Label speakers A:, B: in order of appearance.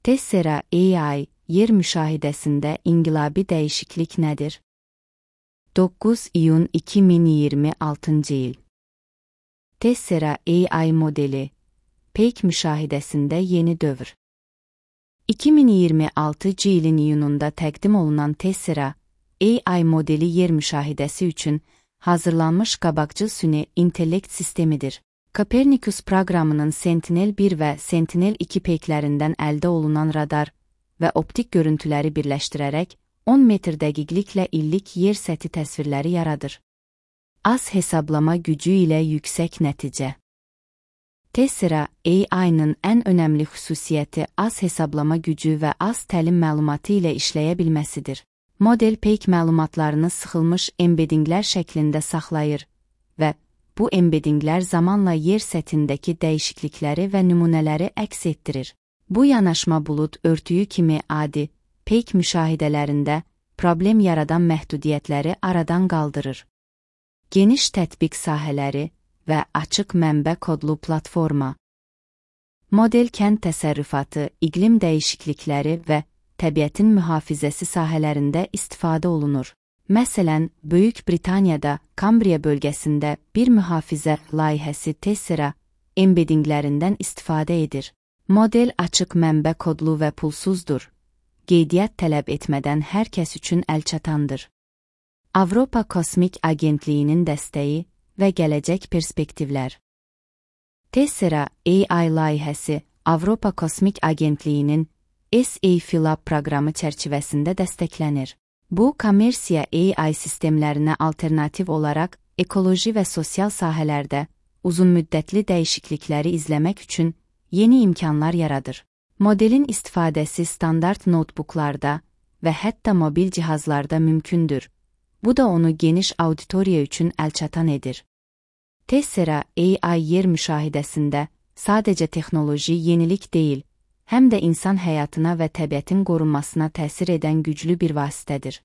A: Tessera AI, yer müşahidəsində inqilabi dəyişiklik nədir? 9 iyun 2026 il. Tessera AI modeli, peyk müşahidəsində yeni dövr. 2026 ilin iyununda təqdim olunan Tessera AI modeli yer müşahidəsi üçün hazırlanmış qabaqcıl süni intellekt sistemidir. Copernicus proqramının Sentinel-1 və Sentinel-2 peyklərindən əldə olunan radar və optik görüntüləri birləşdirərək 10 metr dəqiqliklə illik yer səthi təsvirləri yaradır. Az hesablama gücü ilə yüksək nəticə. Tessera AI-nın ən önəmli xüsusiyyəti az hesablama gücü və az təlim məlumatı ilə işləyə bilməsidir. Model peyk məlumatlarını sıxılmış embeddinglər şəklində saxlayır və bu embeddinglər zamanla yer səthindəki dəyişiklikləri və nümunələri əks etdirir. Bu yanaşma bulud örtüyü kimi adi, peyk müşahidələrində problem yaradan məhdudiyyətləri aradan qaldırır. Geniş tətbiq sahələri və açıq mənbə kodlu platforma. Model kənd təsərrüfatı, iqlim dəyişiklikləri və təbiətin mühafizəsi sahələrində istifadə olunur. Məsələn, Böyük Britaniyada Kambriya bölgəsində bir mühafizə layihəsi Tessera embeddinglərindən istifadə edir. Model açıq mənbə kodlu və pulsuzdur. Qeydiyyat tələb etmədən hər kəs üçün əlçatandır. Avropa Kosmik Agentliyinin dəstəyi və gələcək perspektivlər. Tessera AI layihəsi Avropa Kosmik Agentliyinin SA-FILAB proqramı çərçivəsində dəstəklənir. Bu, kommersiya AI sistemlərinə alternativ olaraq ekoloji və sosial sahələrdə uzunmüddətli dəyişiklikləri izləmək üçün yeni imkanlar yaradır. Modelin istifadəsi standart notebooklarda və hətta mobil cihazlarda mümkündür. Bu da onu geniş auditoriya üçün əlçatan edir. Tessera AI yer müşahidəsində sadəcə texnoloji yenilik deyil, həm də insan həyatına və təbiətin qorunmasına təsir edən güclü bir vasitədir.